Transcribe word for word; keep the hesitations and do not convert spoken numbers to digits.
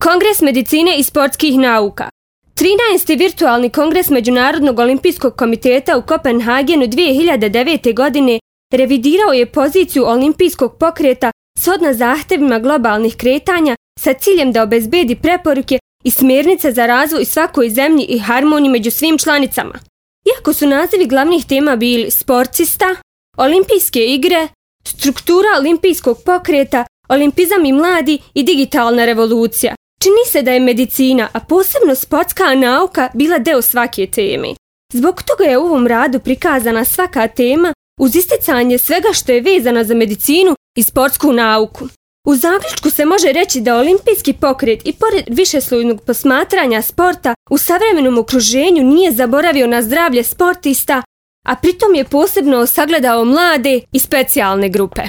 Kongres medicine i sportskih nauka. trinaesti virtualni kongres Međunarodnog olimpijskog komiteta u Kopenhagenu dvije hiljade devete. godine revidirao je poziciju olimpijskog pokreta shodno zahtevima globalnih kretanja sa ciljem da obezbedi preporuke i smjernice za razvoj svakoj zemlji i harmoniju među svim članicama. Iako su nazivi glavnih tema bili sportista, olimpijske igre, struktura olimpijskog pokreta, olimpizam i mladi i digitalna revolucija, čini se da je medicina, a posebno sportska nauka, bila deo svake teme. Zbog toga je u ovom radu prikazana svaka tema uz isticanje svega što je vezano za medicinu i sportsku nauku. U zaključku se može reći da olimpijski pokret i pored višeslojnog posmatranja sporta u savremenom okruženju nije zaboravio na zdravlje sportista, a pritom je posebno sagledao mlade i specijalne grupe.